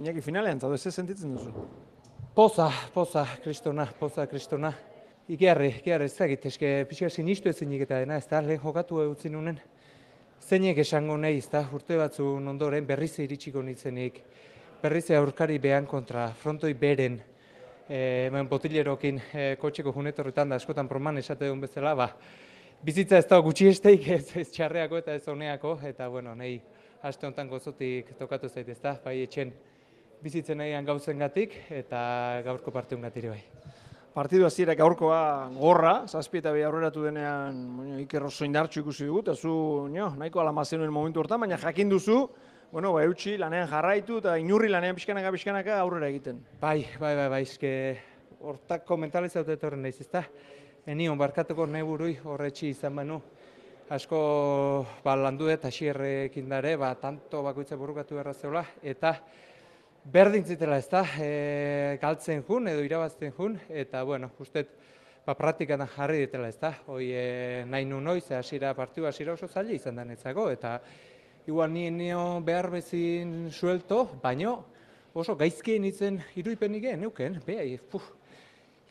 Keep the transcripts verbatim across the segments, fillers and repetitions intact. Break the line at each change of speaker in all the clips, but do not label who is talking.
Iñaki finalean, zaude, ze sentitzen duzu?
Poza, poza, kristona, poza, kristona. Ikerri, ikerri, ez dakit, eske pixka sinistu ezinik eta dena, ez da, lehen jokatu utzi nunen. Zeinek esango nahi, ez da, urte batzun ondoren berriz iritsiko nitzenik, berriz aurkari behan kontra, frontoi beren, e, botilerokin e, kotxeko junetorretan da askotan proman esate duen bezala, ba, bizitza ez da gutxi esteik, ez, ez txarreako eta ez honeako, eta bueno, nahi, aste honetan gozotik tokatu zait, ez da, bai etxen bizitzen nahian gauzengatik eta gaurko partiungatik bai.
Partidu hasiera gaurkoa gorra, zazpi eta bi aurreratu denean bueno, Iker oso indartsu ikusi dugu, eta zu no, nahiko alama zenuen momentu hortan, baina jakin duzu, bueno, ba, eutxi lanean jarraitu eta inurri lanean pixkanaka pixkanaka aurrera egiten.
Bai, bai, bai, bai, eske hortako mentalizatu etorren naiz, ezta? Enion barkatuko nahi burui horretxi izan banu. Asko ba, landu dut hasierrekin dare, ba, tanto bakoitza burrukatu beharra zeula, eta berdin zitela, ez da, e, galtzen jun edo irabazten jun, eta, bueno, ustet, ba, praktikan jarri ditela, ez da, hoi e, nahi nu noiz, hasiera partiu hasiera oso zaila izan da netzako, eta igual ni nio behar bezin suelto, baino oso gaizkien itzen iruipenik egin, neuken, behai, puf,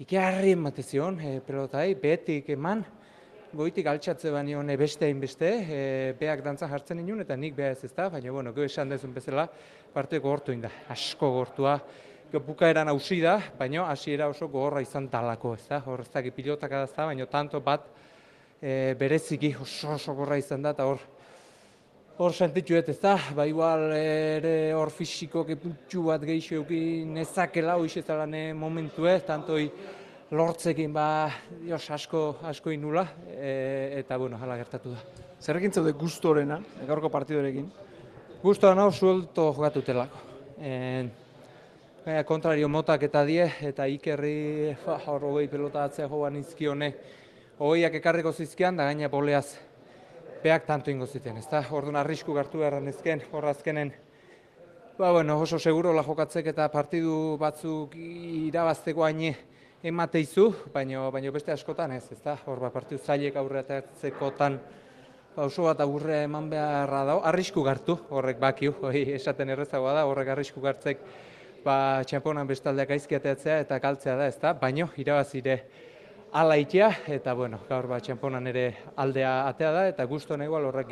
ikerri ematezion, e, pelotai, behetik eman, goitik altxatze baino beste hainbeste, e, beak dantzan jartzen inun, eta nik beha ez ez da, baina, bueno, gero esan dezun bezala, parteko gortu inda, asko gortua, bukaeran hausi da, baina hasiera oso gogorra izan talako, ez da, hor ez da, pilotak adazta, baina tanto bat e, bereziki oso oso gorra izan da, eta hor, hor sentitxuet, ez da, ba, igual ere hor fisiko puntxu bat gehiago eukin nezakela, hoiz ez da momentue, tantoi, lortzekin ba, jos, asko, asko inula, e, eta, bueno, hala gertatu da.
Zerrekin zaude gustorena, gaurko partidorekin?
Gustoa nau suelto jokatutelako. E, kontrario motak eta die, eta Ikerri, hor hogei pelota atzea joan izkione, hogeiak ekarriko zizkian, da gaina boleaz, beak tanto ingo ziten, ez da? Orduan arrisku gartu beharren ezken, horra azkenen, ba, bueno, oso segurola jokatzek eta partidu batzuk irabazteko haine, emateizu, baina baino beste askotan ez, ez da? Hor, ba, partidu zailek aurreatzekotan ba, oso bat aurre eman beharra dago, arrisku gartu, horrek bakiu, hori esaten errezagoa da, horrek arrisku gartzek ba, txamponan bestaldeak aizki ateatzea eta galtzea da, ez da? Baino, irabazire ala itea, eta bueno, gaur ba, txamponan ere aldea atea da, eta gusto nahi horrekin.